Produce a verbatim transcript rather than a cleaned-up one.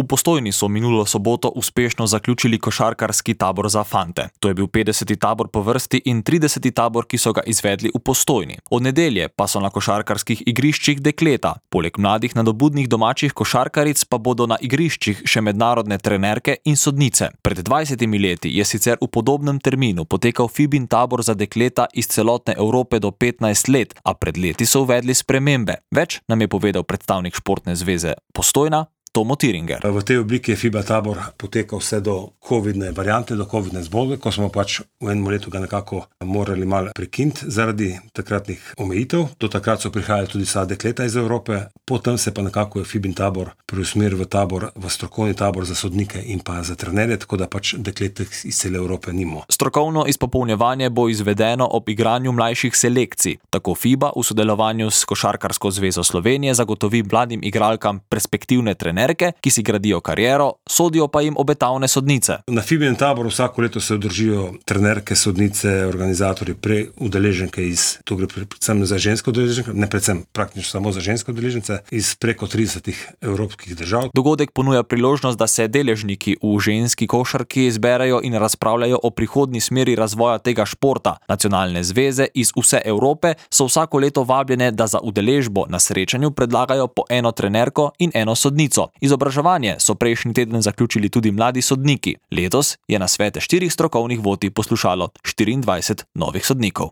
V Postojni so minulo soboto uspešno zaključili košarkarski tabor za fante. To je bil petdeseti tabor po vrsti in trideseti tabor, ki so ga izvedli v Postojni. Od nedelje pa so na košarkarskih igriščih dekleta. Poleg mladih nadobudnih domačih košarkaric pa bodo na igriščih še mednarodne trenerke in sodnice. Pred dvajsetimi leti je sicer v podobnem terminu potekal Fibin tabor za dekleta iz celotne Evrope do petnajst let, a pred leti so uvedli spremembe. Več nam je povedal predstavnik Športne zveze Postojna, Tomo Tiringer. V tej obliki je FIBA tabor potekal vse do covidne variante, do covidne zbolge, ko smo pač v enem letu ga nekako morali malo prekiniti zaradi takratnih omejitev. Do takrat so prihajali tudi vsa dekleta iz Evrope, potem se pa nekako je Fibin tabor preusmeril v tabor, v strokovni tabor za sodnike in pa za trenerje, tako da pač dekletek iz cele Evrope nimo. Strokovno izpopolnjevanje bo izvedeno ob igranju mlajših selekcij. Tako FIBA v sodelovanju s Košarkarsko zvezo Slovenije zagotovi mladim igralkam perspektivne trenerje, ki si gradijo kariero, sodijo pa jim obetavne sodnice. Na Fibinem taboru vsako leto se udržijo trenerke, sodnice, organizatorji, prej udeleženke iz, to gre predvsem za ženske udeleženke, ne predvsem, praktično samo za ženske udeležence, iz preko tridesetih evropskih držav. Dogodek ponuja priložnost, da se deležniki v ženski košarki zberejo in razpravljajo o prihodnji smeri razvoja tega športa. Nacionalne zveze iz vse Evrope so vsako leto vabljene, da za udeležbo na srečanju predlagajo po eno trenerko in eno sodnico. Izobraževanje so prejšnji teden zaključili tudi mladi sodniki. Letos je na svete štirih strokovnih vodij poslušalo štiriindvajset novih sodnikov.